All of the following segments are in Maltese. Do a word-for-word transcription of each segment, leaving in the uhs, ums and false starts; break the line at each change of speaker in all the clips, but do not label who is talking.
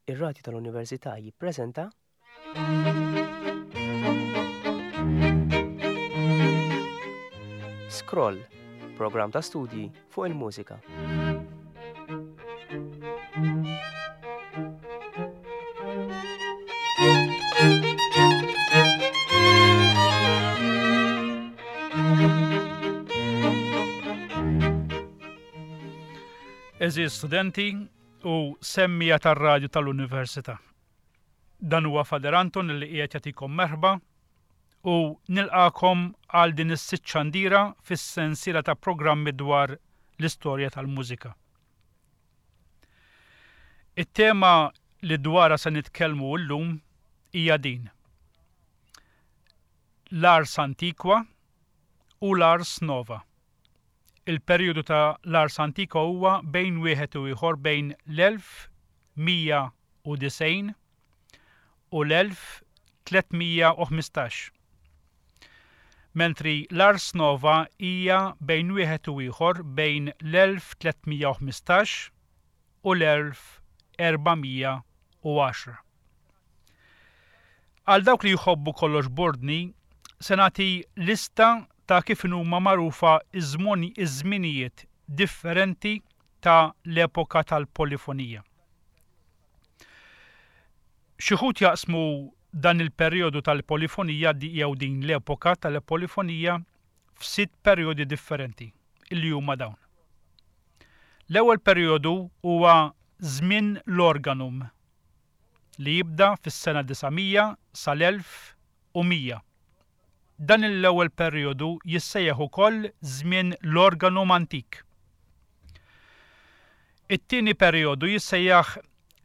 Ir-Radju tal-Università jippreżenta Scroll, programm ta' studji fuq il-mużika.
Eżiż studenti u semmija tar-radju tal-Università. Dan huwa Fader Anton li qiegħed jagħtikom merħba u nilqakom għal din is-sitt xandira fis-sensiela ta' programmi dwar l-istorja tal-mużika. It-tema li dwarha se nitkellmu llum hija din. L-Ars Antiqua u l-Ars Nova. Il-perjodu ta' l-Ars Antiqua huwa bejn wieħed u ieħor bejn l-elf mija u disgħin u l-elf tliet mija u ħmistax. Mentri l-Ars Nova hija bejn wieħed u ieħor bejn l-elf tliet mija u ħmistax u l-elf erba' mija u għaxra. Għal dawk li jħobbu kollox bordni, se nagħti lista ta' kif huma magħrufa iż-żminijiet differenti ta' l-epoka tal-polifonija. Xi wħud jaqsmu dan il-perjodu tal-polifonija jew din l-epoka tal-polifonija f'sitt perjodi differenti illi huma dawn. L-ewwel perjodu huwa żmien l-organum li jibda fis-sena disa' mija sal-elf u mija. Dan l-ewwel perjodu jissejjaħ ukoll żmien l-organum antik. It-tieni perjodu jissejjaħ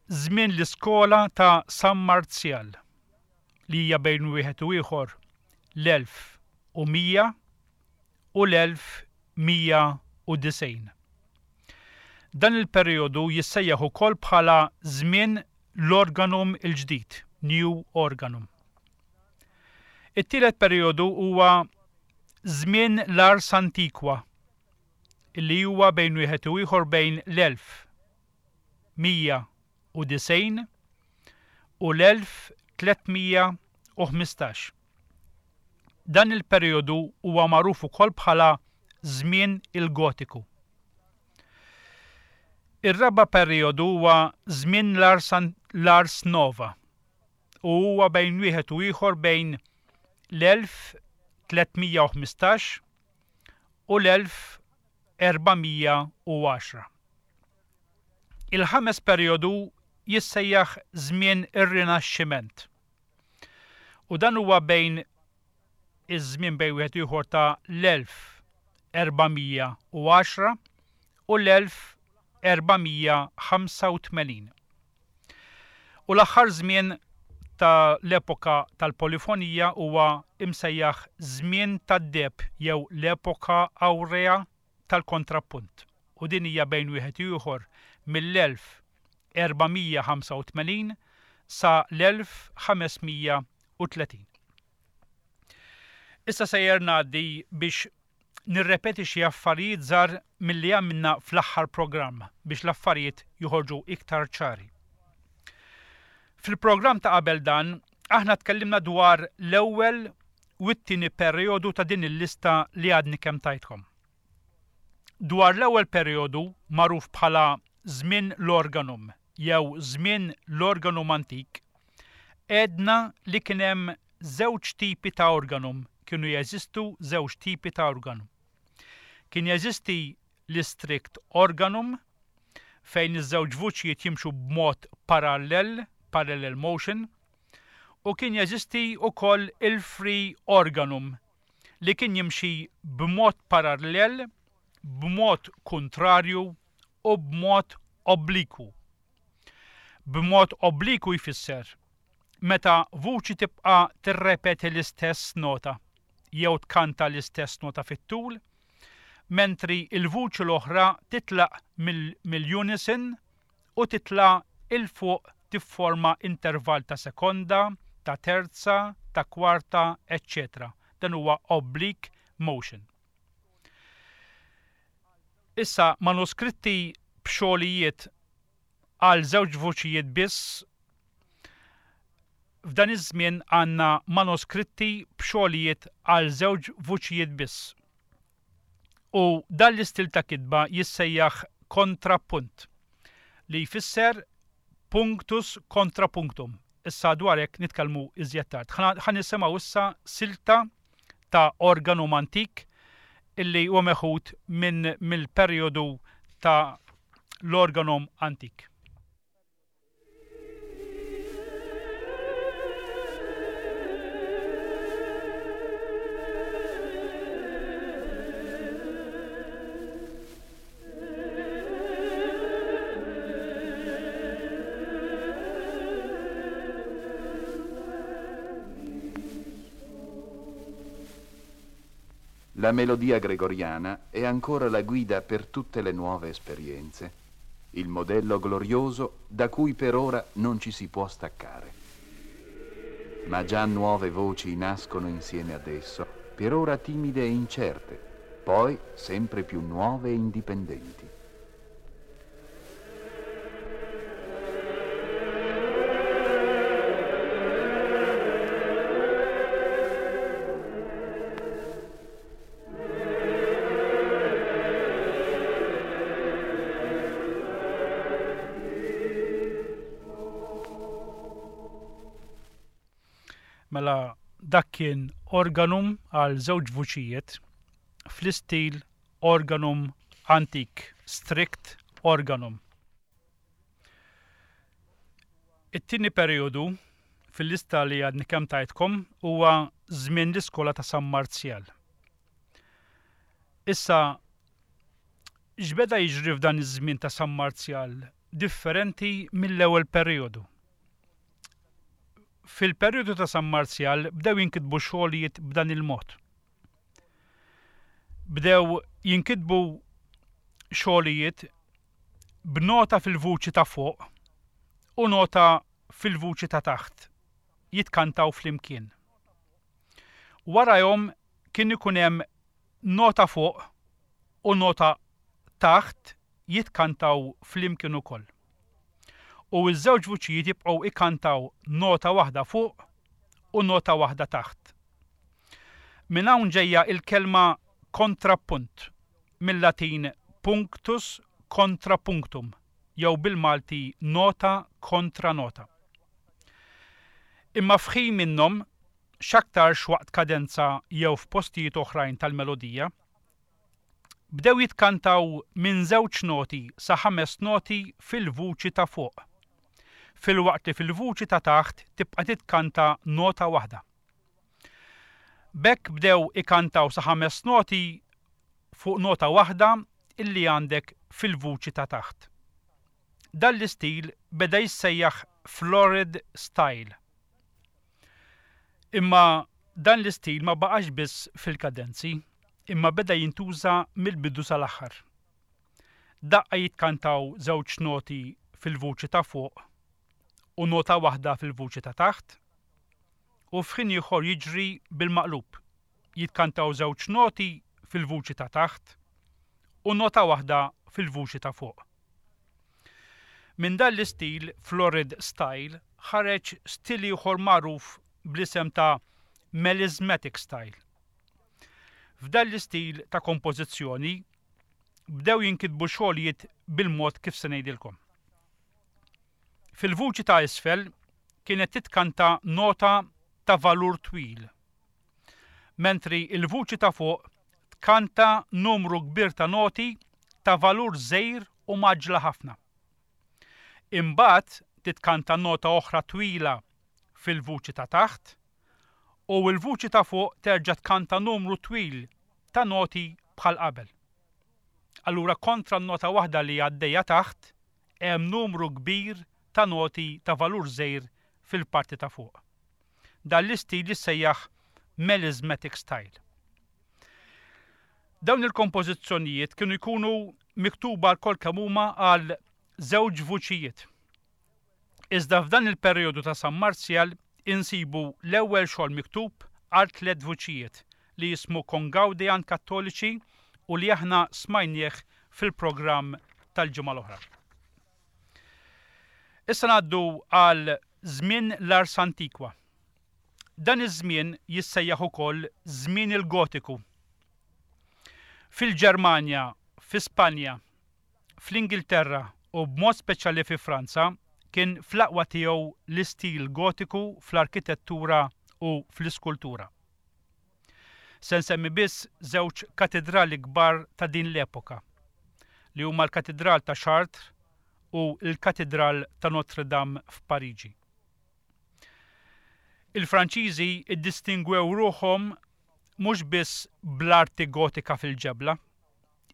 żmien l-iskola ta' San Marzjal li hija bejn wieħed u ieħor l-elf u mija u l-elf mija u disgħin. Dan il-perjodu jissejjaħ ukoll bħala żmien l-organum il-ġdid, New Organum. It-tielet perjodu huwa żmien l-Ars Antiqua, illi huwa bejn wieħed u ieħor bejn l-elf mija u disgħin u l-elf tliet mija u ħmistax. Dan il-perjodu huwa magħruf ukoll bħala żmien il-Gotiku. Ir-raba' perjodu huwa żmien l-Ars Nova u huwa bejn wieħed u ieħor bejn l-elf tliet mija u ħmistax u l-elf erba' mija u għaxra. Il-ħames perjodu jissejjaħ żmien ir-Rinaxximent. U dan huwa bejn iż-żmien bejn wieħed u ieħor ta' l-elf erba' mija u għaxra u l-elf erba' mija ħamsa u tmenin. U l-aħħar żmien ta' l-epoka tal-polifonija huwa imsejjaħ żmien tad-deheb jew l-epoka awrea tal-kontrappunt. U din hija bejn wieħed u ieħor mill-elf erba' mija ħamsa u tmenin sa l-elf ħames mija u tletin. Issa sejjer ngħaddi biex nirrepeti xi affarijiet żgħar milli għamilna fl-aħħar programm biex l-affarijiet joħorġu iktar ċari. Fil-programm ta' qabel dan, aħna tkellimna dwar l-ewwel u t-tieni perjodu ta' din il-lista li għadni kemm tajtkom. Dwar l-ewwel perjodu magħruf bħala żmien l-organum jew żmien l-organum antik, għedna li kien hemm żewġ tipi ta' organum, kienu jeżistu żewġ tipi ta' organum. Kien jeżisti l-istrict organum fejn iż-żewġ vuċijiet jimxu b'mod parallel, parallel motion, u kien jeżisti wkoll il-free organum li kien jimxi b'mod parallel, b'mod kontrarju u b'mod obliku. B'mod obliku jfisser meta vuċi tibqa' tirrepeti l-istess nota jew tkanta l-istess nota fit-tul, mentri il-vuċi l-oħra titlaq mill-, mill-unison u titla' il fuq tifforma intervall ta' sekonda, ta' terza, ta' kwarta, eċċetera. Dan huwa oblique motion. Issa manuskritti b'xogħlijiet għal żewġ vuċijiet biss F'dan iż-żmien għandna manuskritti b'xogħlijiet għal żewġ vuċijiet biss. U dan l-istil ta' kitba jissejjaħ kontrapunt, li jfisser punctus kontra punctum. Issa dwar hekk nitkellmu iżjed tard. Ħa nisimgħu issa silta ta' organum antik illi huwa meħud minn mill-perjodu ta' l-organum antik.
La melodia gregoriana è ancora la guida per tutte le nuove esperienze, il modello glorioso da cui per ora non ci si può staccare. Ma già nuove voci nascono insieme ad esso, per ora timide e incerte, poi sempre più nuove e indipendenti.
Mela dak kien organum għal żewġ vuċijiet fl-istil organum antik, strict organum. It-tieni perjodu fil-lista li għadni kemm tajtkom huwa żmien l-iskola ta' San Marzjal. Issa x'beda jiġri f'dan iż-żmien ta' San Marzjal differenti mill-ewwel perjodu? Fil-perjodu ta' San Marzjal bdew jinkitbu xogħlijiet b'dan il-mod. Bdew jinkitbu xogħlijiet b'nota fil-vuċi ta' fuq u nota fil-vuċi ta' taħt, jitkantaw flimkien. Warajhom kien ikun hemm nota fuq u nota taħt jitkantaw flimkien ukoll. U ż-żewġ vuċijiet jibqgħu ikantaw nota waħda fuq u nota waħda taħt. Minn hawn ġejja il-kelma kontrapunt, mill-Latin punctus contra punctum, jew bil-Malti nota kontra nota. Imma f'ħin minnhom, x'aktarx waqt kadenza jew f'postijiet oħrajn tal-melodija, bdew jitkantaw minn żewġ noti sa ħames noti fil-vuċi ta' fuq, filwaqt li fil-vuċi ta' taħt tibqa' titkanta nota waħda. B'hekk bdew ikantaw sa ħames noti fuq nota waħda illi għandek fil-vuċi ta' taħt. Dan l-istil beda jissejjaħ florid style. Imma dan l-istil ma baqax biss fil-kadenzi, imma beda jintuża mill-bidu sal-aħħar. Daqqa jitkantaw żewġ noti fil-vuċi ta' fuq u nota waħda fil-vuċi ta' taħt, u f'ħin ieħor jiġri bil-maqlub, jitkantaw żewġ noti fil-vuċi ta' taħt u nota waħda fil-vuċi ta' fuq. Minn dan l-istil florid style ħareġ stil ieħor magħruf bl-isem ta' melismatic style. F'dan l-istil ta' kompożizzjoni bdew jinkitbu xogħlijiet bil-mod kif se ngħidilkom. Fil-vuċi ta' isfel kienet titkanta nota ta' valur twil, mentri il-vuċi ta' fuq tkanta numru kbir ta' noti ta' valur żgħir u maġla ħafna. Imbagħad titkanta nota oħra twila fil-vuċi ta' taħt u l-vuċi ta' fuq terġa' tkanta numru twil ta' noti bħal qabel. Allura kontra n-nota waħda li għaddejja taħt hemm numru kbir ta' noti ta' valur żgħir fil-parti ta' fuq. Dan l-istil jissejjaħ melismatic style. Dawn il-kompożizzjonijiet kienu jkunu miktuba lkoll kemm huma għal żewġ vuċijiet. Iżda f'dan il-perjodu ta' San Marzjal insibu l-ewwel xogħol miktub għal tliet vuċijiet li jismu Congaudian Kattoliċi u li aħna smajnieh fil-programm tal-ġimgħa l-oħra. Issa ngħaddu għal żmien l-Ars Antiqua. Dan iż-żmien jissejjaħ ukoll żmien il-Gotiku. Fil-Ġermanja, fi Spanja, fl-Ingilterra u b'mod speċjali fi Franza kien fl-aqwa tiegħu l-istil Gotiku fl-arkitettura u fl-iskultura. Se nsemmi biss żewġ katedrali kbar ta' din l-epoka, li huma l-Katedral ta' Chartres u l-Katedral ta' Notre Dame f'Pariġi. Il-Franċiżi iddistingwew ruħhom mhux biss bl-arti gotika fil-ġebla,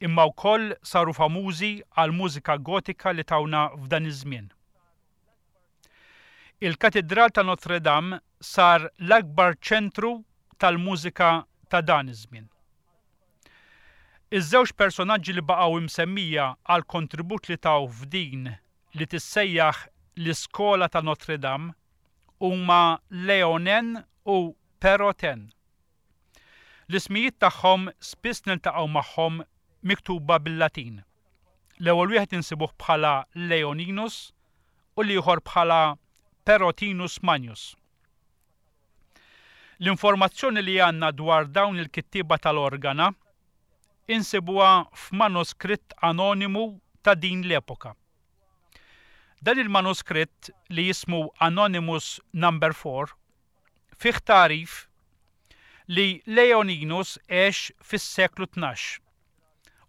imma wkoll saru famużi għal mużika gotika li tawna f'dan iż-żmien. Il-Katedral ta' Notre Dame sar l-akbar ċentru tal-mużika ta' dan iż-żmien. Iż-żewġ personaġġi li baqgħu imsemmija għal kontribut li taw f'din li tissejjaħ l-Iskola ta' Notre Dame huma Leonen u Perotin. L-ismijiet tagħhom spiss niltaqgħu magħhom miktuba bil-Latin. L-ewwel wieħed insibuh bħala Leoninus u l-ieħor bħala Perotinus Magnus. L-informazzjoni li għandna dwar dawn il-kittieba tal-organa insibuha f'manuskritt anonimu ta' din l-epoka. Dan il-manuskritt li jismu Anonymous Number four fih tagħrif li Leoninus għex fis-seklu tnax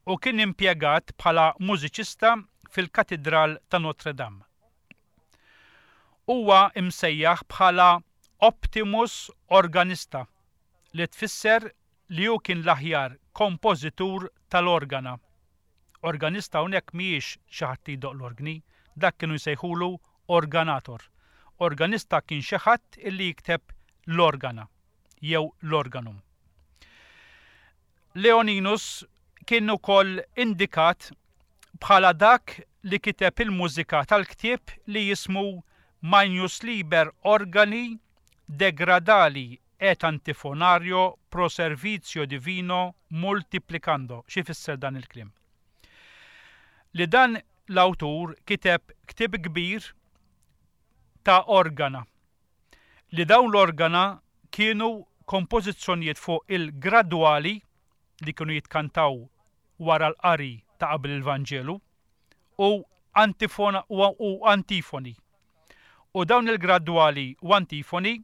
u kien impjegat bħala mużiċista fil-Katedral ta' Notre Dame. Huwa imsejjaħ bħala Optimus Organista, li tfisser li hu kien l-aħjar kompożitur tal-organa. Organista hawnhekk mhijiex xi ħadd li jdoqq l-organi, dak kienu jsejħulu organator. Organista kien xi ħadd illi jikteb l-organa jew l-organum. Leoninus kien ukoll indikat bħala dak li kiteb il-mużika tal-ktieb li jismu Magnus Liber Organi Degradali et Antifonario pro Servizio Divino Multiplicando. Xi fisser dan il-kliem? Li dan l-awtur kiteb ktieb kbir ta' organa. Li dawn l-organa kienu kompożizzjonijiet fuq il-gradwali li kienu jitkantaw wara l-qari ta' qabel il-Vanġelu u antifona u antifoni. U dawn il-gradwali u antifoni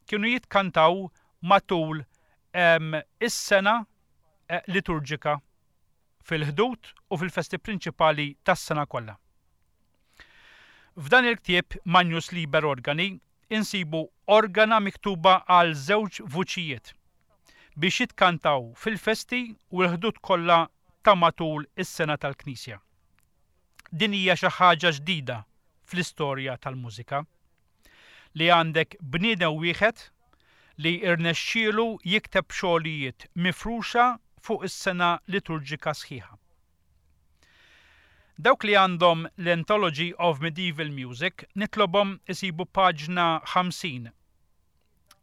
kienu jitkantaw matul is-sena liturġika fil-ħdud u fil-festi prinċipali tas-sena kollha. F'dan il-ktieb Magnus Liber Organi insibu organa miktuba għal żewġ vuċijiet biex jitkantaw fil-festi u l-ħdud kollha ta' matul is-sena tal-Knisja. Din hija xi ħaġa ġdida fl-istorja tal-mużika li għandek bniedem wieħed li irnexxielu jikteb xogħlijiet mifruxa fuq is-sena liturġika sħiħa. Dawk li għandhom l-Anthology of Medieval Music nitlobhom isibu paġna ħamsin.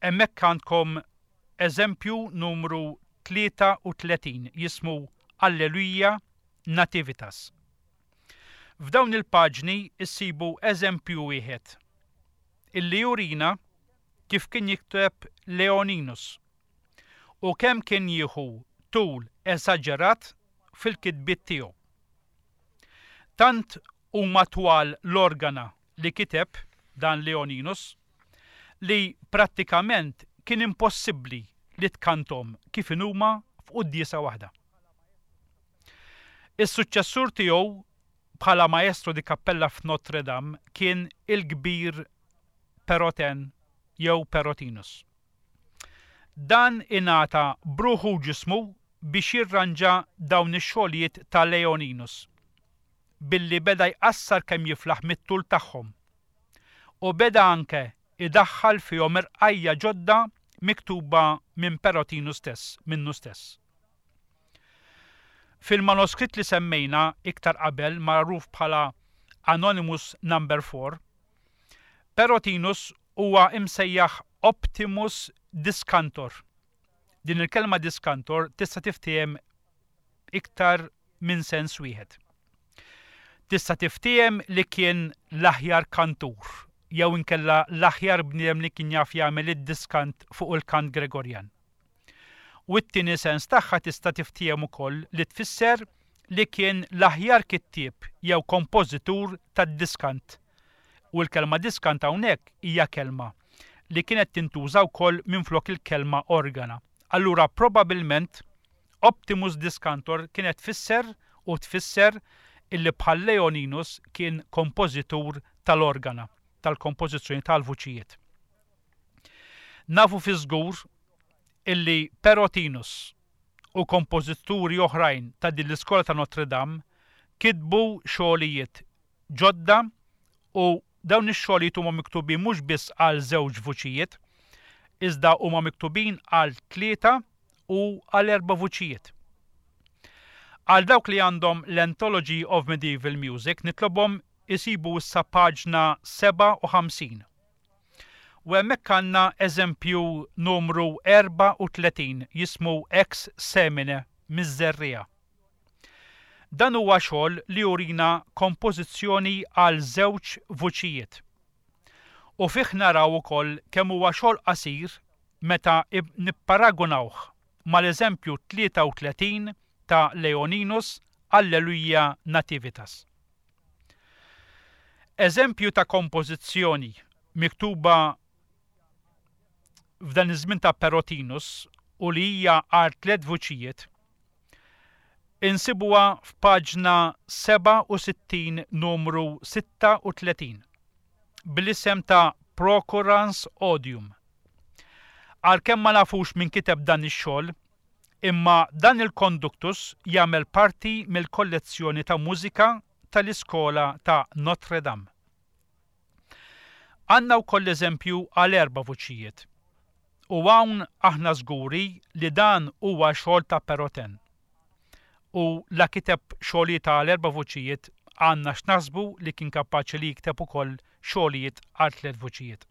Hemmhekk għandkom eżempju numru tlieta u tletin jismu Alleluja Nativitas. F'dawn il-paġni issibu eżempju wieħed illi jurina kif kien jikteb Leoninus u kemm kien jieħu tul esaġerat fil-kitbiet tiegħu. Tant huma twal l-organa li kiteb dan Leoninus li prattikament kien impossibbli li tkantom kif inhuma f'quddiesa waħda. Is-suċċessur tiegħu bħala maestro di cappella f'Notre Dame kien il-kbir Perotin jew Perotinus. Dan ingħata bruħu ġismu biex jirranġa dawn ix-xogħlijiet ta' Leoninus billi beda jqassar kemm jiflaħ mit-tul tagħhom u beda anke idaħħal fihom irqajja ġodda miktuba minn Perotinu stess, minnu stess. Fil-manuskritt li semmejna iktar qabel magħruf bħala Anonymous Number four, Perotinus huwa imsejjaħ Optimus Discantor. Din il-kelma discantor tista' tiftiehem iktar minn sens wieħed. Tista' tiftiehem li kien l-aħjar kantur jew inkella l-aħjar bniedem li kien jaf jagħmel id-diskant fuq il-kant Gregorjan. U t-tieni sens tagħha tista' tiftiehem ukoll li tfisser li kien l-aħjar kittieb jew kompożitur tad-diskant. U l-kelma diskant hawnhekk hija kelma li kienet tintuża wkoll minflok il-kelma organa. Allura probabbilment Optimus Discantor kienet tfisser u tfisser illi bħal Leoninus kien kompożitur tal-organa, tal-kompożizzjoni tal-vuċijiet. Nafu fi żgur illi Perotinus u kompożituri oħrajn ta' din l-iskola ta' Notre Dame kitbu xogħlijiet ġodda u dawn ix-xogħlijiet huma miktubin mhux biss għal żewġ vuċijiet, iżda huma miktubin għal tlieta u għal erba' vuċijiet. Għal dawk li għandhom l-Anthology of Medieval Music nitlobhom isibu issa paġna sebgħa u ħamsin. U hemmhekk għandna eżempju numru erbgħa u tletin jismu Ex Semine miż-Żerriegħa. Dan huwa xogħol li jurina kompożizzjoni għal żewġ vuċijiet. U fih naraw ukoll kemm huwa xogħol qasir meta nipparagunawh mal-eżempju tlieta u tletin ta' Leoninus Alleluia Nativitas. Eżempju ta' kompożizzjoni miktuba f'dan iż-żmien ta' Perotinus u li hija għal tliet vuċijiet insibuha f'paġna sebgħa u sittin numru sitta u tletin bl-isem ta' Procurans Odium. Għalkemm ma nafux min kiteb dan ix-xogħol, imma dan il-konduktus jagħmel parti mill-kollezzjoni ta' mużika tal-iskola ta' Notre Dame. Għandna wkoll eżempju għal erba' vuċijiet. U hawn aħna żguri li dan huwa xogħol ta' Perotin. U la kiteb xogħlijiet għal erba' vuċijiet għandna x'naħsbu li kien kapaċi li jikteb ukoll xogħlijiet għal tliet vuċijiet.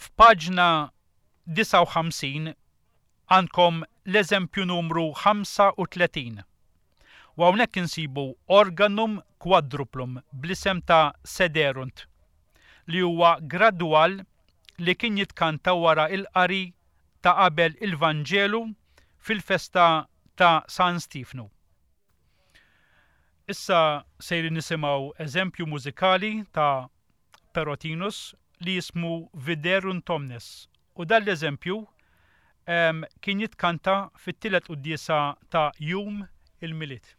F'paġna disgħa u ħamsin għandkom l-eżempju numru ħamsa u tletin. U hawnhekk insibu organum quadruplum bl-isem ta' Sederunt li huwa gradwal li kien jitkanta wara il-qari ta' qabel il-Vanġelu fil-festa ta' San Stefnu. Issa sejrin nisimgħu eżempju mużikali ta' Perotinus li jismu Viderunt Omnes u dan l-eżempju, em, kien jitkanta fit-tielet quddiesa ta' Jum il-Milied.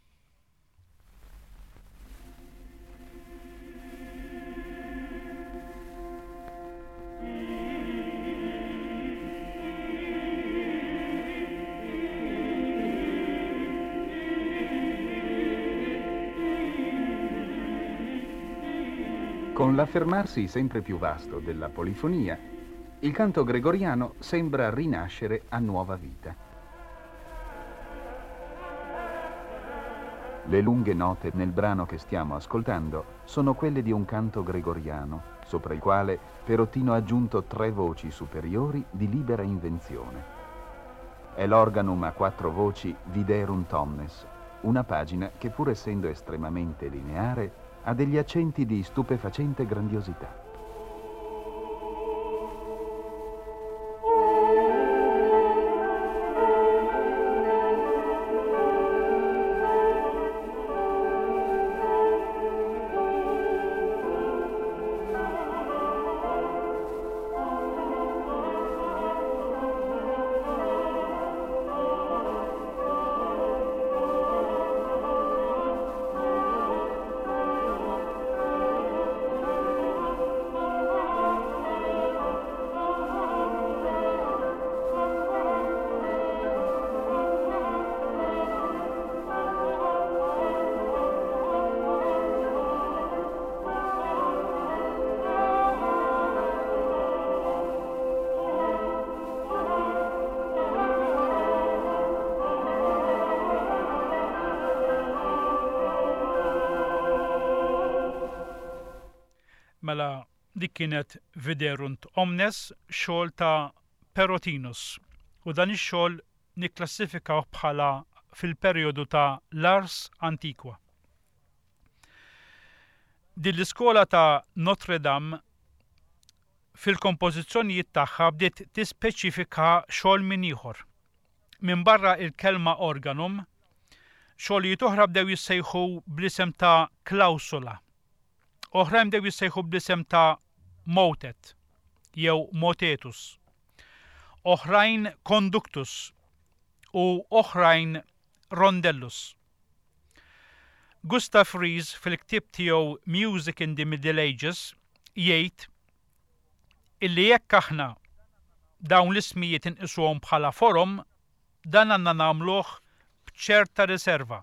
Con l'affermarsi sempre più vasto della polifonia, il canto gregoriano sembra rinascere a nuova vita. Le lunghe note nel brano che stiamo ascoltando sono quelle di un canto gregoriano, sopra il quale Perottino ha aggiunto tre voci superiori di libera invenzione. È l'organum a quattro voci Viderunt Omnes, una pagina che pur essendo estremamente lineare ha degli accenti di stupefacente grandiosità.
Mela dik kienet Viderunt Omnes, xogħol ta' Perotinus, u dan ix-xogħol nikklassifikaw bħala fil-perjodu ta' l-Ars Antiqua. Din l-iskola ta' Notre Dame fil-kompożizzjonijiet tagħha bdiet tispeċifika xogħol minn ieħor. Minbarra il-kelma organum, xogħlijiet oħra bdew jissejħu bl-isem ta' clausula. Oħrajn bdew jissejħu bl-isem ta' motet jew motetus. Oħrajn conductus u oħrajn rondellus. Gustav Ries fil-ktieb tiegħu Music in the Middle Ages jgħid illi jekk aħna dawn l-ismijiet inqisuhom bħala forom, dan għandna nagħmluh b'ċerta riserva.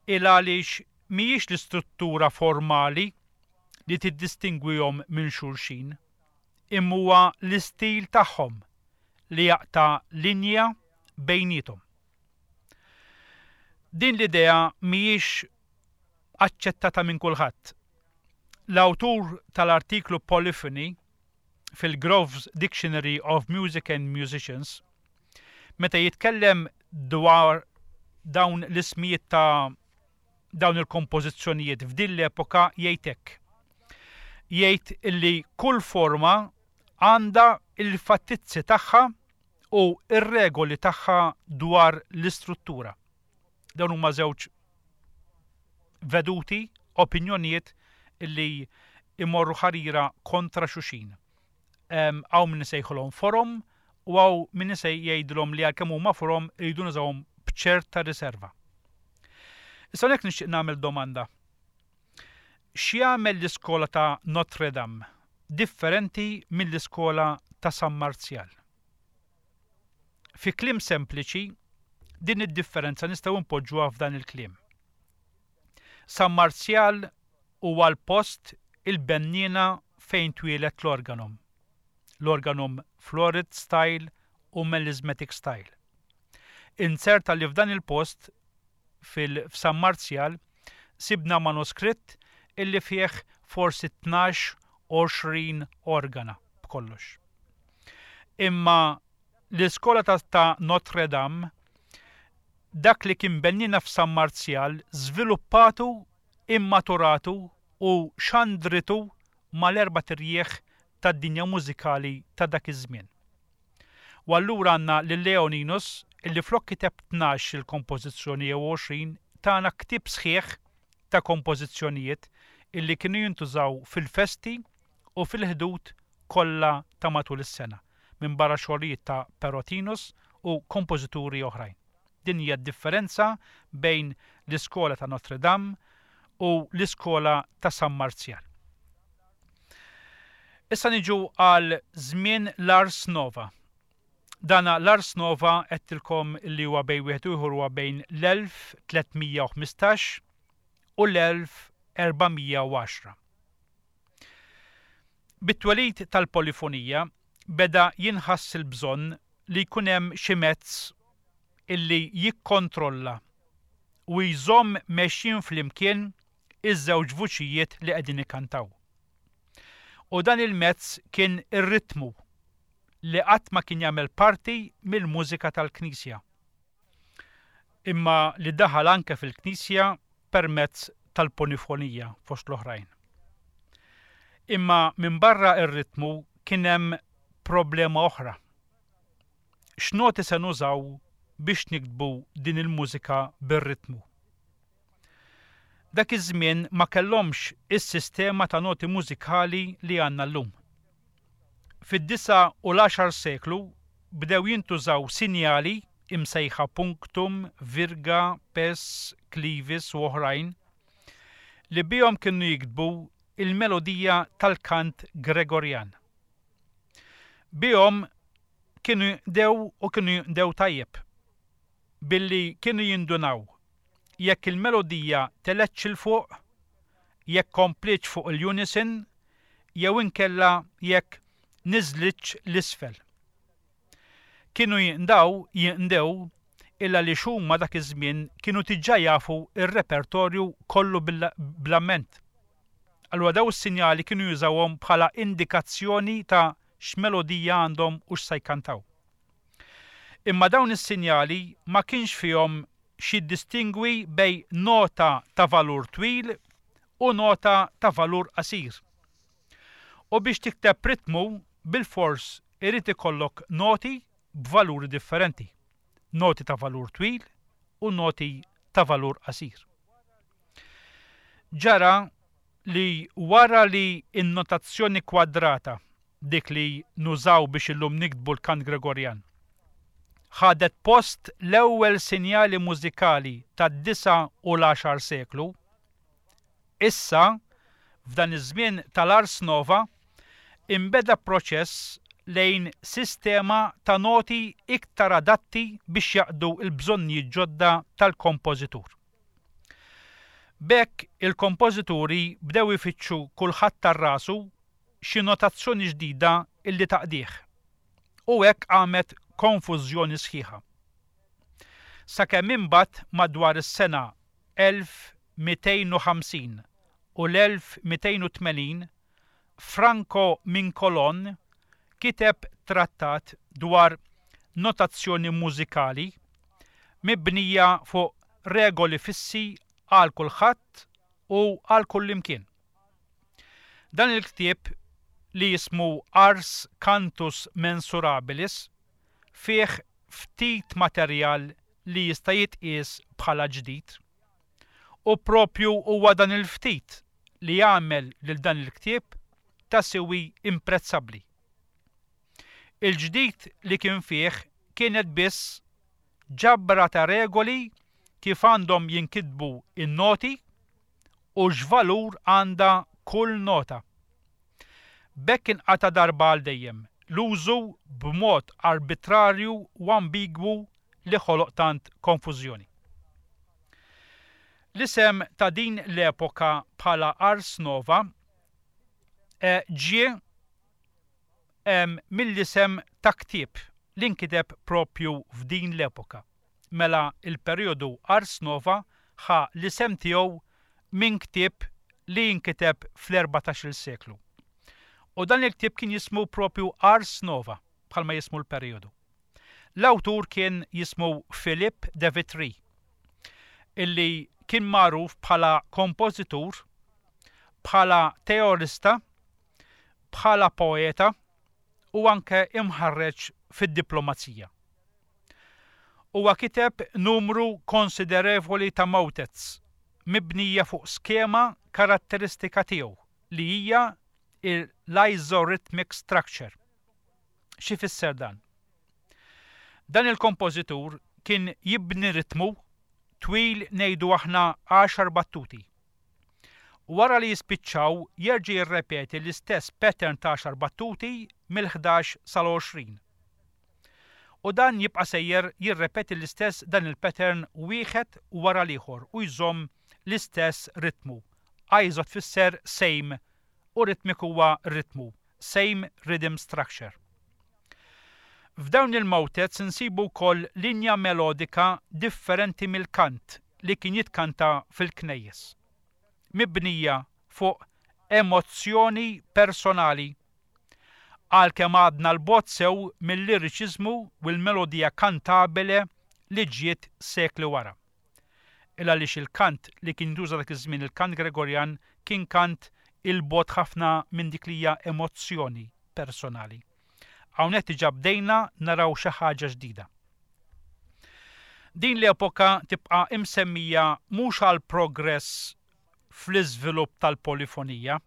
Il għaliex mhijiex l-istruttura formali li tiddistingwihom minn xulxin, imma huwa l-istil tagħhom li jaqta' linja bejnietom. Din l-idea mhijiex aċċettata minn kulħadd. L-awtur tal-artiklu Polyphony fil-Grove's Dictionary of Music and Musicians, meta jitkellem dwar dawn l-ismijiet ta' dawn il-kompożizzjonijiet f'din l-epoka jgħid hekk. Jgħid illi kull forma għandha il-fattizzi tagħha u ir-regoli tagħha dwar l-istruttura. Dawn huma żewġ veduti, opinjonijiet illi imorru ħarira kontra xulxin. Hawn min isejħulhom forom u hawn min jgħidilhom li għalkemm huma forom iridu nużawhom b'ċerta riserva. Issa hawnhekk nixtieq nagħmel domanda. X'jagħmel l-iskola ta' Notre Dame differenti mill-iskola ta' San Marzjal? Fi kliem sempliċi, din id-differenza nistgħu npoġġuha f'dan il-kliem. San Marzjal huwa l-post il-benniena fejn twieled l-organum. L-organum Florid style u Melismatic style. Inserta li f'dan il-post fil-San Marzjal sibna manuskritt illi fih forsi tnax għoxrin organa b'kollox. Imma l-iskola ta', ta' Notre Dame dak li kien bennina f'San Marzjal żviluppatu, immaturatu u xandritu mal-erba' tirjieħ tad-dinja mużikali ta' dak iż-żmien. U allura għandna lil Leoninus illi flok kiteb tnax il-kompożizzjoni jew għoxrin tana ktieb sħiħ ta' kompożizzjonijiet illi kienu jintużaw fil-festi u fil-ħdud kollha ta' matul is-sena, minn barra xogħlijiet ta' Perotinus u kompożituri oħrajn. Din hija d-differenza bejn l-iskola ta' Notre Dame u l-iskola ta' San Marzjal. Issa niġu għal żmien l-Ars Nova. Dana l-Ars Nova għedtilkom li huwa bejn wieħed u ieħor huwa bejn l-elf tliet mija u ħmistax u l-elf erba' mija u għaxra. Bit-twelid tal-polifonija beda jinħass il-bżonn li jkun hemm xi mezz illi jikkontrolla u jżomm mexjin flimkien iż-żewġ vuċijiet li qegħdin ikantaw. U dan il-mezz kien ir-ritmu li qatt ma kien jagħmel parti mill-mużika tal-Knisja, imma li daħal anke fil-Knisja permezz tal-polifonija fost l-oħrajn. Imma minn barra ir-ritmu kien hemm problema oħra. X'noti se nużaw biex niktbu din il-mużika bir-ritmu? Dak iż-żmien ma kellhomx is-sistema ta' noti mużikali li għandna llum. Fid-disa' u l-għaxar seklu bdew jintużaw sinjali imsejħa punctum, virga, pes, clivis u oħrajn li bihom kienu jiktbu il-melodija tal-kant Gregorjan. Bihom kienu jdew u kienu jdew tajjeb billi kienu jindunaw jekk il-melodija telgħetx 'il fuq, jekk komplietx fuq il-unison, jew inkella jekk niżlitx 'l isfel. Kienu jindaw, jindew, illa li xumma dak iż-żmien kienu diġà jafu ir-repertorju kollu bl-amment. Allura daw is-sinjali kienu jużawhom bħala indikazzjoni ta' x'melodija għandhom u x'se jkantaw. Imma dawn is-sinjali ma kienx fihom xi distingwi bejn nota ta' valur twil u nota ta' valur qasir. U biex tikteb ritmu, bilfors irid ikollok noti b'valuri differenti. Noti ta' valur twil u noti ta' valur qasir. Ġara li wara li n-notazzjoni kwadrata, dik li nużaw biex illum niktbu l-kant Gregorjan, ħadet post l-ewwel sinjali mużikali tad-disa' u l-għaxar seklu, issa, f'dan iż-żmien tal-Ars Nova, inbeda proċess lejn sistema ta' noti iktar adatti biex jaqdu l-bżonnijiet ġodda tal-kompożitur. B'hekk il-kompożituri bdew ifittxu kulħadd tar rasu xi notazzjoni ġdida illi taqdih. U hekk qamet konfużjoni sħiħa. Sakemm imbagħad madwar is-sena elf mitejn u ħamsin u l-elf mitejn u tmenin Franco Mincolon kiteb trattat dwar notazzjoni mużikali mibnija fuq regoli fissi għal kulħadd u għal kullimkien. Dan il-ktieb li jismu Ars Cantus Mensurabilis fih ftit materjal li jista' jitqies bħala ġdid. U propju huwa dan il-ftit li jagħmel lil dan il-ktieb ta' siwi imprezzabbli. Il-ġdid li kien fih kienet biss ġabra ta' regoli kif għandhom jinkitbu in-noti u x'valur għandha kull nota. B'hekk inqata' darba għal dejjem l-użu b'mod arbitrarju u ambigwu li ħoloq tant konfużjoni. L-isem ta' din l-epoka bħala Ars Nova ġie mill-isem ta' ktieb li nkiteb propju f'din l-epoka. Mela il-perjodu Ars Nova ħa l-isem tiegħu minn ktieb li nkiteb fl-erbatax-il seklu. U dan il-ktieb kien jismu propju Ars Nova, bħalma jismu l-perjodu. L-awtur kien jismu Philippe de Vitry, illi kien magħruf bħala kompożitur, bħala teorista, bħala poeta u anke imħarreġ fid-diplomazija. Huwa kiteb numru konsiderevoli ta' motets mibnija fuq skema karatteristika tiegħu li hija l-isorhythmic structure. Xi fisser dan? Dan il-kompożitur kien jibni ritmu twil ngħidu aħna għaxar battuti. Wara li jispiċċaw jerġa' jirrepeti l-istess pattern ta' għaxar battuti mill-ħdax sal-għoxrin. U dan jibqa' sejjer jirrepeti l-istess dan il-pattern wieħed wara l-ieħor u jżomm l-istess ritmu. Iso tfisser same u ritmik huwa ritmu, same rhythm structure. F'dawn il-motets insibu wkoll linja melodika differenti mill-kant li kien jitkanta fil-knejjes, mibnija fuq emozzjoni personali, għalkemm għadna l-bogħod sew mill-liriċiżmu u l-melodija kantabile li ġiet sekli wara. Il għaliex il-kant li kien jintuża dak iż-żmien, il-kant Gregorjan, kien kant il-bogħod ħafna minn dik li hija emozzjoni personali. Hawnhekk diġà bdejna naraw xi ħaġa ġdida. Din l-epoka tibqa' imsemmija mhux għal progress fl-iżvilupp tal-polifonija,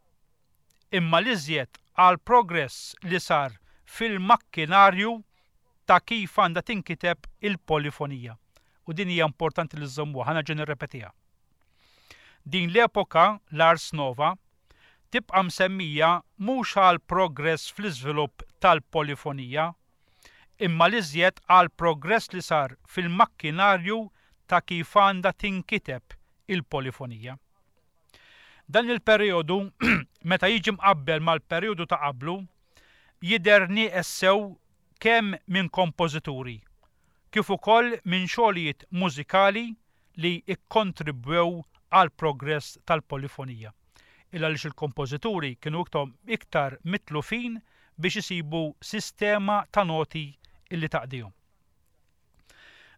imma l-iżjed għal progress li sar fil-makkinarju ta' kif għandha tinkiteb il-polifonija. U din hija importanti li żżommuha, ħa nerġa' nirrepetiha. Din l-epoka, l-Ars Nova, tibqa' msemmija mhux għal progress fl-iżvilupp tal-polifonija, imma l-iżjed għal progress li sar fil-makkinarju ta' kif għandha tinkiteb il-polifonija. Dan il-perjodu, meta jiġi mqabbel mal-perjodu ta' qablu, jidher nieqes sew kemm minn kompożituri, kif ukoll minn xogħlijiet mużikali li ikkontribwew għal progress tal-polifonija. Il għaliex il-kompożituri kienu iktar mitlufin biex isibu sistema ta' noti illi taqdihom.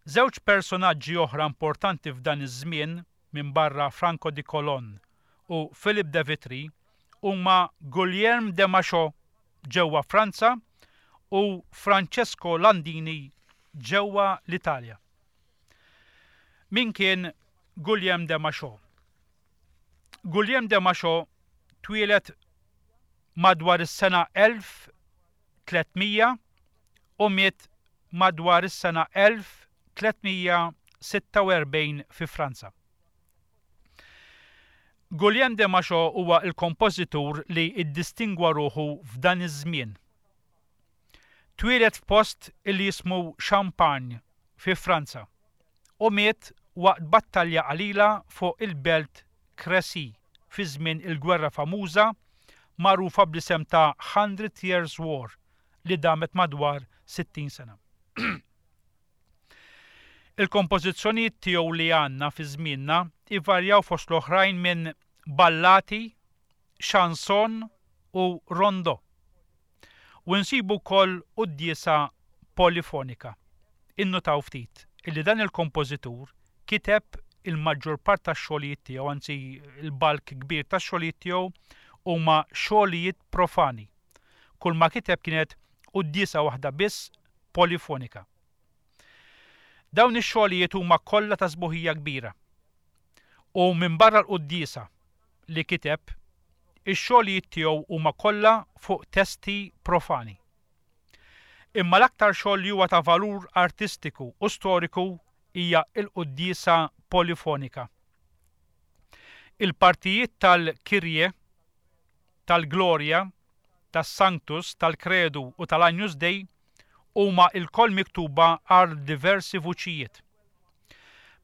Żewġ personaġġi oħra importanti f'dan iż-żmien minn barra Franco di Colon u Philip de Vitry huma Guillaume de Machaut ġewwa Franza u Francesco Landini ġewwa l-Italja. Min kien Guillaume de Machaut? Guillaume de Machaut twieled madwar is-sena elf tliet mija u miet madwar is-sena elf tliet mija sitta u erbgħin fi Franza. Guillaume de Machaut huwa l-kompożitur li iddistingwa ruħu f'dan iż-żmien. Twieled f'post illi jismu Champagne fi Franza u miet waqt battalja qalila fuq il-belt Crécy fi żmien il-gwerra famuża magħrufa bl-isem ta' Hundred Years War li damet madwar sittin sena. Il-kompożizzjonijiet tiegħu li għandna fi żmienna ivarjaw fost l-oħrajn minn ballati, chanson u rondo. U nsibu wkoll quddiesa polifonika. Innutaw ftit illi dan il-kompożitur kiteb il-maġġor part tax-xogħlijiet tiegħu, anzi il-balk kbir tax-xogħlijiet tiegħu huma xogħlijiet profani. Kull ma kiteb kienet quddiesa waħda biss polifonika. Dawn ix-xogħlijiet huma kollha ta' sbuħija kbira. U minn barra l-quddiesa li kiteb, ix-xogħlijiet tiegħu huma kollha fuq testi profani. Imma l-aktar xogħol li huwa ta' valur artistiku u storiku hija l-quddiesa polifonika. Il-partijiet tal-Kyrie, tal-Gloria, tas-Sanctus, tal-Credu u tal-Agnus Dei huma lkoll miktuba għal diversi vuċijiet.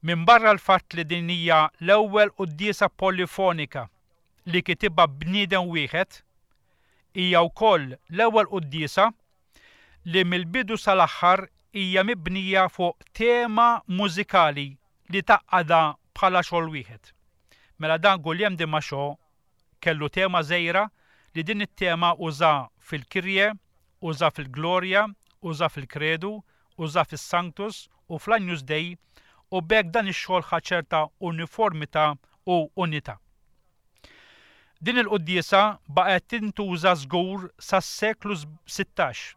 Minn barra l-fatt li din hija l-ewwel quddiesa polifonika li kitibha bniedem wieħed, hija wkoll l-ewwel quddiesa li mill-bidu sal-aħħar hija mibnija fuq tema mużikali li taqgħadha bħala xogħol wieħed. Mela dan Guillaume de Machaut kellu tema żgħira li din it-tema uża fil-Kyrie, uża fil-Gloria, uża fil-Credu, uża fis-Sanctus u fl-Agnus Dei, u b'hekk dan ix-xogħol ħa ċerta uniformità u unità. Din il-quddiesa baqgħet tintuża żgur sas-seklu sittax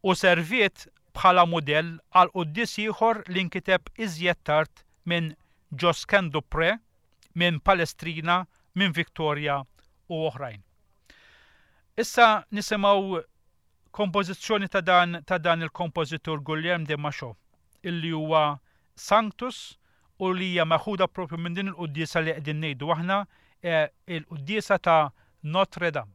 u serviet bħala mudell għal quddies ieħor li nkiteb iżjed tard minn Josquin des Prez, minn Palestrina, minn Victoria u oħrajn. Issa nisimgħu kompożizzjoni ta' dan, ta' dan il-kompożitur Guillaume de Machaut, illi huwa Sanctus u li hija meħuda propju minn din il-quddiesa li qegħdin ngħidu aħna, eh, il-quddiesa ta' Notre Dame.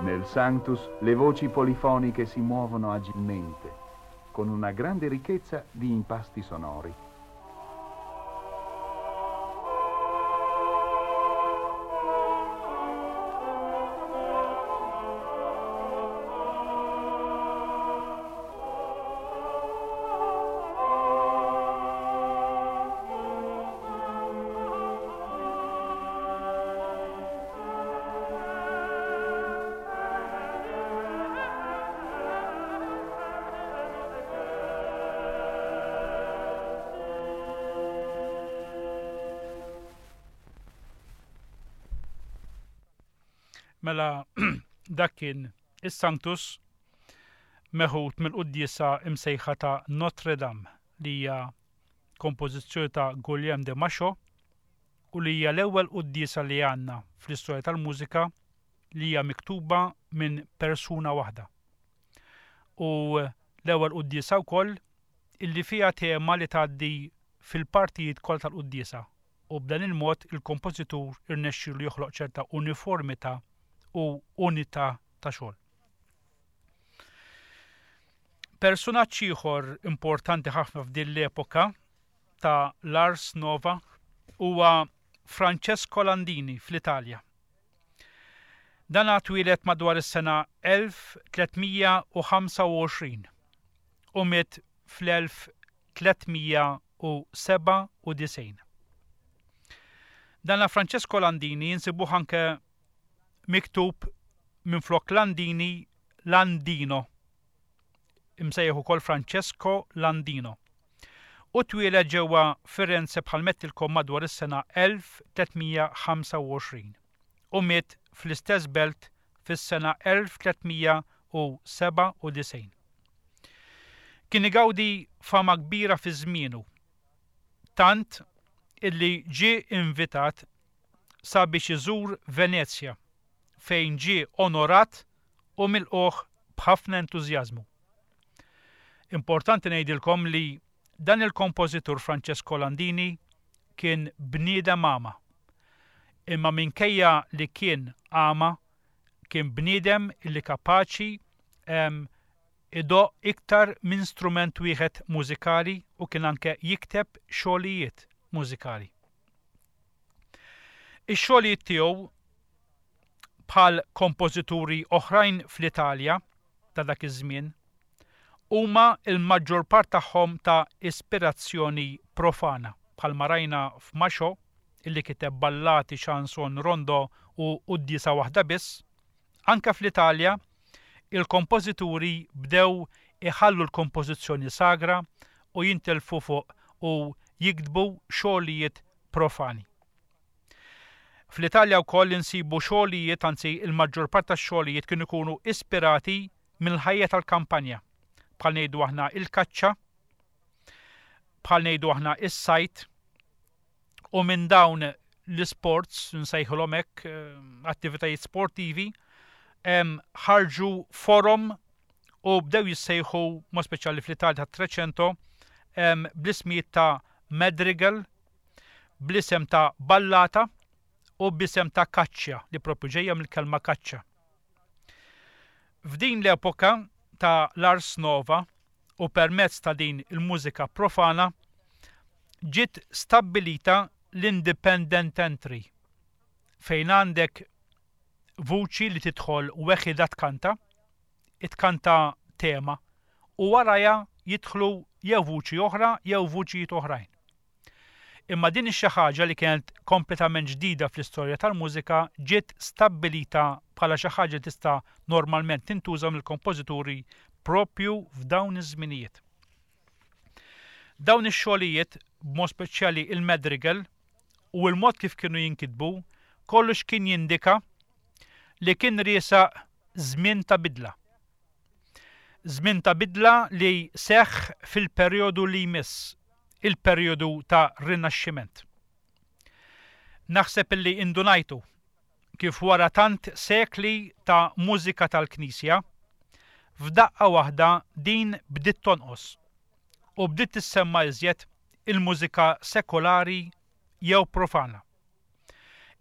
Nel Sanctus le voci polifoniche si muovono agilmente, con una grande ricchezza di impasti sonori.
Mela dak kien is-Sanctus meħud mill-quddiesa imsejħa ta' Notre Dame li hija kompożizzjoni ta' Guillaume de Machaut u li hija l-ewwel quddiesa li għandna fl-istorja tal-mużika li hija miktuba minn persuna waħda. U l-ewwel quddiesa wkoll illi fiha tema li tgħaddi fil-partijiet kollha tal-quddiesa u b'dan il-mod il-kompożitur irnexxielu joħloq ċerta uniformità u unità ta' xogħol. Personaġġ ieħor importanti ħafna f'din l-epoka ta' l-Ars Nova huwa Francesco Landini fl-Italja. Dan twieled madwar is-sena elf tliet mija u ħamsa u għoxrin u miet fl-elf tliet mija u sebgħa u disgħin. Dan Francesco Landini insibuh anke miktub minflok Landini Landino, imsejjaħ ukoll Francesco Landino. U twieled ġewwa Firenze bħal mettilkom madwar is-sena elf tliet mija ħamsa u għoxrin u miet fl-istess belt fis-sena elf tliet mija u sebgħa u disgħin. Kien igawdi fama kbira fi żmienu, tant illi ġie invitat sabiex iżur Venezja fejn ġie onorat u milqugħ b'ħafna entużjażmu. Importanti ngħidilkom li dan il-kompożitur Francesco Landini kien bniedem għama. Imma minkejja li kien għama, kien bniedem illi kapaċi, em, idoqq iktar minn strument wieħed mużikali u kien anke jikteb xogħlijiet mużikali. Ix-xogħlijiet tiegħu bħal kompożituri oħrajn fl-Italja ta' dak iż-żmien huma l-maġġor part tagħhom ta' ispirazzjoni profana, bħalma rajna f'Machaut illi kiteb ballati, chanson, rondo u quddiesa waħda biss. Anke fl-Italja il-kompożituri bdew iħallu l-kompożizzjoni sagra u jintelfu fuq u jiktbu xogħlijiet profani. Fl-Italja wkoll insibu xogħlijiet, anzi il-maġġor part tax-xogħlijiet kienu jkunu ispirati mill-ħajja tal-kampanja, bħal ngħidu aħna il-kaċċa, bħal ngħidu aħna is-sajt, u minn dawn l-isports, nsejħulhom hekk, eh, attivitajiet sportivi, em, ħarġu forum u bdew jissejħu, mod speċjali fl-Italja tat-Trecento, em, bl-ismijiet ta' madrigal, bl-isem ta' ballata u bl-isem ta' kaċċa, li propju ġejja mill-kelma kaċċa. F'din l-epoka ta' l-Ars Nova u permezz ta' din il-mużika profana ġiet stabbilita l-independent entry, fejn għandek vuċi li tidħol weħida tkanta, itkanta tema, u warajha jidħlu jew vuċi oħra jew vuċijiet oħrajn. Imma din ix-xi ħaġa li kienet kompletament ġdida fl-istorja tal-mużika ġiet stabbilita bħala xi ħaġa li tista' normalment tintuża mill-kompożituri propju f'dawn iż-żminijiet. Dawn ix-xogħlijiet, b'mod speċjali il-madrigal u l-mod kif kienu jinkitbu, kollox kien jindika li kien riesaq żmien ta' bidla. Żmien ta' bidla li seħħ fil-perjodu li jmiss, il-perjodu ta' Rinaxximent. Naħseb illi indunajtu kif wara tant sekli ta' mużika tal-Knisja, f'daqqa waħda din bdiet tonqos u bdiet tissemma iżjed il-mużika sekolari jew profana.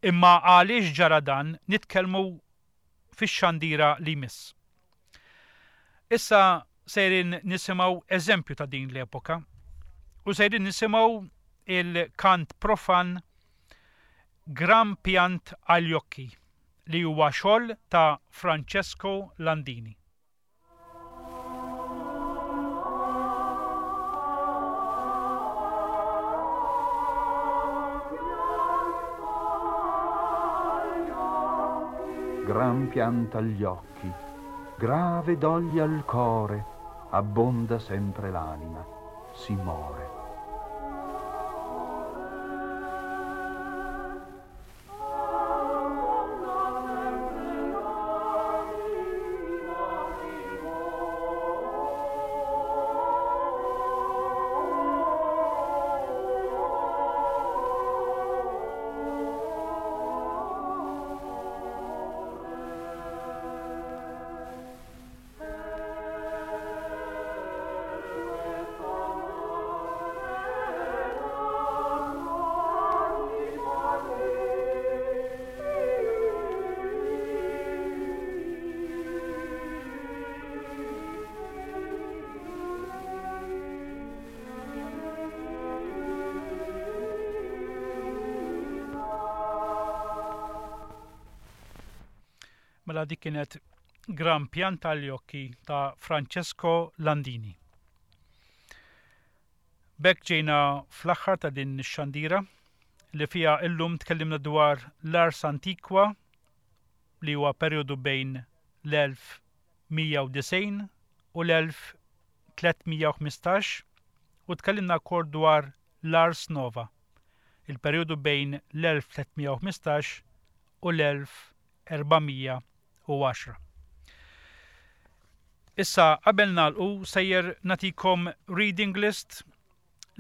Imma għaliex ġara dan nitkellmu fix-xandira li jmiss. Issa sejrin nisimgħu eżempju ta' din l-epoka u sejrin nisimgħu il-kant profan Gran Piant agli occhi li huwa xogħol ta' Francesco Landini.
Gran pianta agli occhi, grave doglia al core, abbonda sempre l'anima, si more.
Mela dik kienet Gran Pianta agli occhi ta' Francesco Landini. B'hekk ġejna fl-aħħar ta' din ix-xandira li fiha illum tkellimna dwar l-Ars Antiqua li huwa perjodu bejn l-elf mija u disgħin u l-elf tliet mija u ħmistax u tkellimna wkoll dwar l-Ars Nova, il-perjodu bejn l-elf tliet mija u ħmistax u l-elf erba' mija u għaxra. Issa qabel nagħlqu sejjer nagħtikom reading list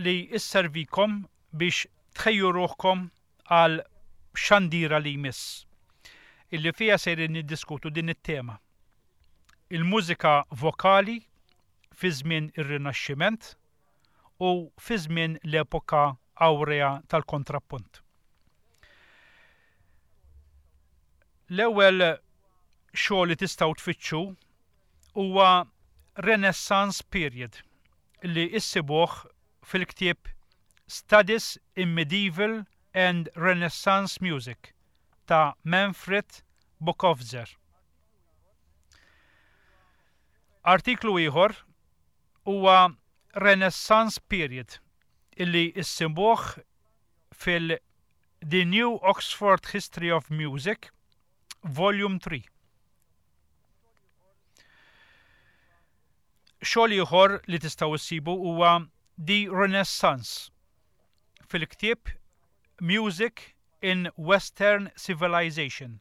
li isservikom biex tħejju ruħkom għal xandira li jmiss, illi fija sejrin niddiskutu din it-tema. Il-mużika vokali fi żmien ir-Rinaxximent u fi żmien l-epoka awrea tal-kontrappunt. L-ewwel xogħol li tistgħu tfittxu huwa Renaissance Period li issibuh fil-ktieb Studies in Medieval and Renaissance Music ta' Manfred Bokofzer. Artiklu ieħor huwa Renaissance Period illi issibuh fil The New Oxford History of Music, Volume three. Xogħol ieħor li tistgħu issibu huwa The Renaissance fil-ktieb Music in Western Civilization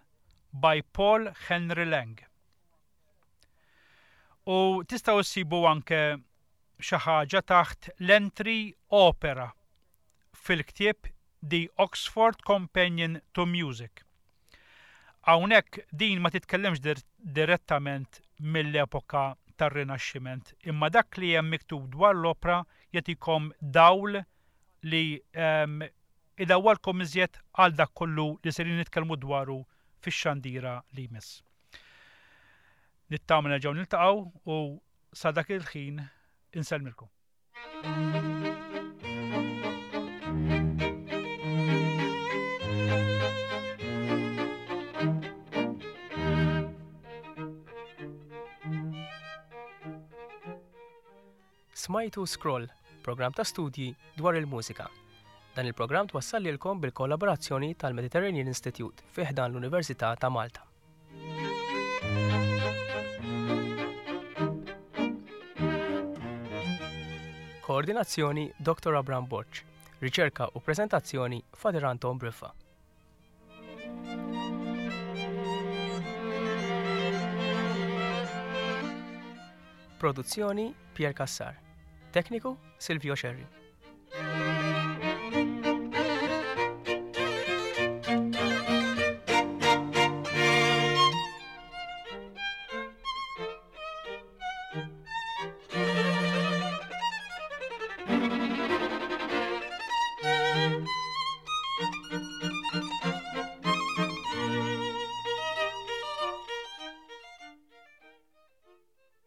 by Paul Henry Lang. U tistgħu issibu anke xi ħaġa taħt l-entry Opera fil-ktieb The Oxford Companion to Music. Hawnhekk din ma titkellemx dir-, direttament mill-epoka tar-Rinaxximent, imma dak li hemm miktub dwar l-opra jagħtikom dawl li, ehm, idawwalkom iżjed għal dak kollu li serin nitkellmu dwaru fix-xandira li jmiss. Nittama nerġgħu niltaqgħu u sa dak il-ħin insellmilkom.
Smajtu Scroll, programm ta' studji dwar il-mużika. Dan il-programm twassal lilkom bil-kollaborazzjoni tal-Mediterranean Institute fi ħdan l-Università ta' Malta. Koordinazzjoni Doktor Abraham Borg. Riċerka u prezentazzjoni Father Anton Briffa. Produzzjoni Pier Cassar. Tekniku Silvio Scerri.